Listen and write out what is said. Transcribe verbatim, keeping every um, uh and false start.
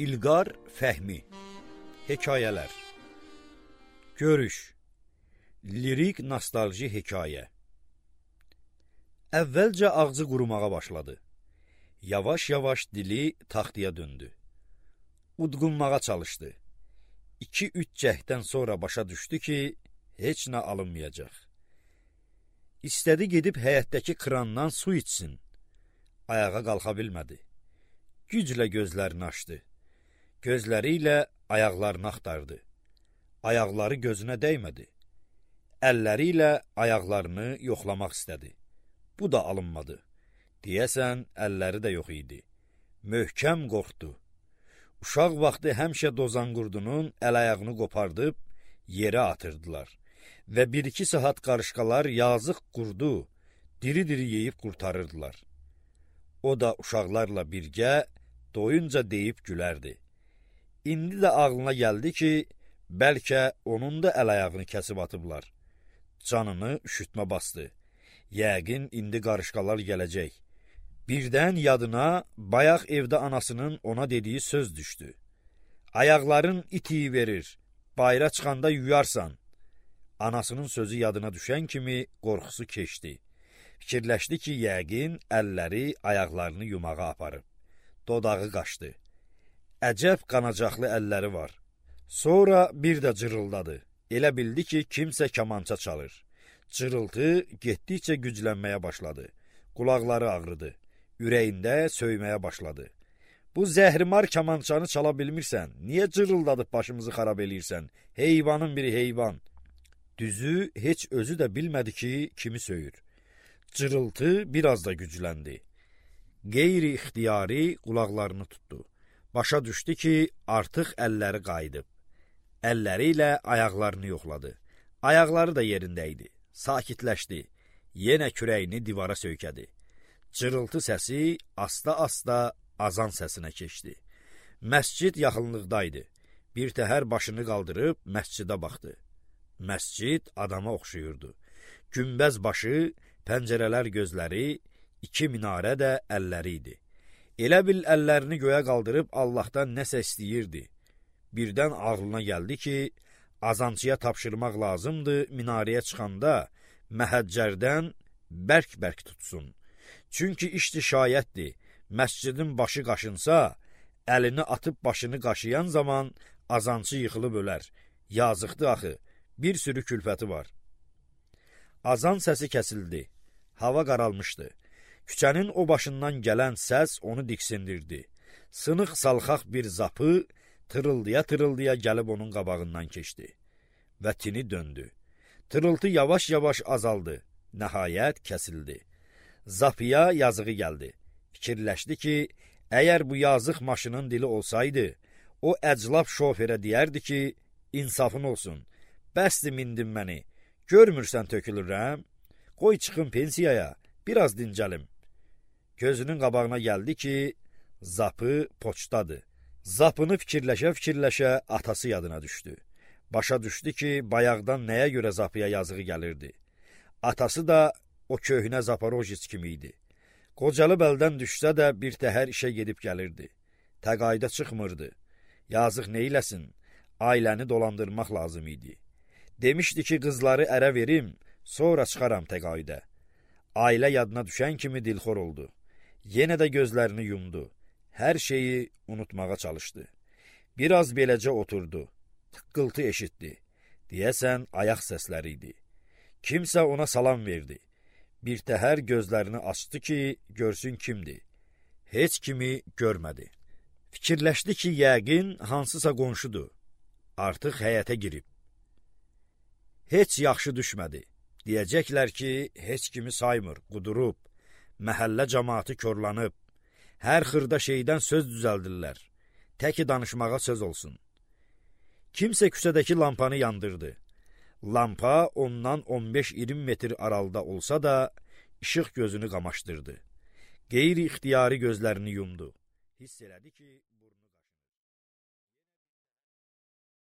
İlqar Fəhmi. Hekayələr. Görüş. Lirik nostalji hekayə. Əvvəlcə ağzı qurumağa başladı. Yavaş-yavaş dili taxtaya döndü. Udqunmağa çalışdı. İki-üç cəhdən sonra başa düşdü ki, heç nə alınmayacaq. İstədi gedib həyətdəki krandan su içsin. Ayağa qalxa bilmədi. Güclə gözlərini açdı. Gözləri ilə ayaqlarını axtardı. Ayaqları gözünə dəymədi. Əlləri ilə ayaqlarını yoxlamaq istədi. Bu da alınmadı. Deyəsən, əlləri də yox idi. Möhkəm qorxdu. Uşaq vaxtı həmişə dozanqurdunun əl-ayağını qopardıb yerə atırdılar və bir-iki saat qarışqalar yazıq qurdu diri-diri yeyib qurtarırdılar. O da uşaqlarla birgə doyunca deyib gülərdi. İndi də ağlına gəldi ki, bəlkə onun da əl-ayağını kəsib atıblar. Canını üşütmə bastı. Yəqin indi qarışqalar gələcək. Birdən yadına bayaq evdə anasının ona dediyi söz düşdü. Ayaqların itiyi verir, bayra çıxanda yuyarsan. Anasının sözü yadına düşən kimi qorxusu keçdi. Fikirləşdi ki, yəqin əlləri ayaqlarını yumağa aparıb. Dodağı qaşdı. Əcəb qanacaqlı əlləri var. Sonra bir də cırıldadı. Elə bildi ki, kimsə kamança çalır. Cırıltı getdikcə güclənməyə başladı. Qulaqları ağrıdı. Ürəyində söyməyə başladı. Bu zəhrimar kamançanı çala bilmirsən, niyə cırıldadıb başımızı xarab eləyirsən? Heyvanın biri heyvan. Düzü, heç özü də bilmədi ki, kimi söyür. Cırıltı biraz da gücləndi. Qeyri-ixtiyari qulaqlarını tutdu. Başa düşdü ki, artıq əlləri qayıdıb. Əlləri ilə ayaqlarını yoxladı. Ayaqları da yerində idi. Sakitləşdi. Yenə kürəyini divara söykədi. Cırıltı səsi asta-asta azan səsinə keçdi. Məscid yaxınlıqdaydı. Bir təhər başını qaldırıb məscidə baxdı. Məscid adama oxşuyurdu. Günbəz başı, pəncərələr gözləri, iki minarə də əlləri idi. Elə bil əllərini göyə qaldırıb Allahdan nəsə istəyirdi. Birdən ağlına gəldi ki, azancıya tapşırmaq lazımdır, minarəyə çıxanda məhəccərdən bərk-bərk tutsun. Çünki işdi şayətdir, məscidin başı qaşınsa, əlini atıb başını qaşıyan zaman azancı yıxılıb ölər. Yazıqdır axı, bir sürü külfəti var. Azan səsi kəsildi, hava qaralmışdı. Küçənin o başından gələn səs onu diksindirdi. Sınıq salxaq bir zapı tırıldıya-tırıldıya gəlib onun qabağından keçdi. Və tini döndü. Tırıltı yavaş-yavaş azaldı. Nəhayət kəsildi. Zapıya yazığı gəldi. Fikirləşdi ki, əgər bu yazıq maşının dili olsaydı, o əclab şoferə deyərdi ki, insafın olsun, bəsdir mindin məni, görmürsən tökülürəm, qoy çıxın pensiyaya, biraz dincəlim. Gözünün qabağına gəldi ki, zapı poçtadır. Zapını fikirləşə-fikirləşə atası yadına düşdü. Başa düşdü ki, bayaqdan nəyə görə zapıya yazığı gəlirdi. Atası da o köhnə Zaporojets kimi idi. Qocalıb əldən düşsə də bir təhər işə gedib gəlirdi. Təqayüdə çıxmırdı. Yazıq neyləsin, ailəni dolandırmaq lazım idi. Demişdi ki, qızları ərə verim, sonra çıxaram təqayüdə. Ailə yadına düşən kimi dilxor oldu. Yenə də gözlərini yumdu. Hər şeyi unutmağa çalışdı. Biraz beləcə oturdu. Tıqqıltı eşitdi. Deyəsən, ayaq səsləri idi. Kimsə ona salam verdi. Bir təhər gözlərini açdı ki, görsün kimdir. Heç kimi görmədi. Fikirləşdi ki, yəqin hansısa qonşudur. Artıq həyətə girib. Heç yaxşı düşmədi. Deyəcəklər ki, heç kimi saymır, qudurub. Məhəllə cəmaatı körlanıb. Hər xırda şeydən söz düzəldirlər. Təki danışmağa söz olsun. Kimsə küçədəki lampanı yandırdı. Lampa ondan on beş iyirmi metr aralıda olsa da, işıq gözünü qamaşdırdı. Qeyri-ixtiyari gözlərini yumdu. Hiss elədi ki, burnu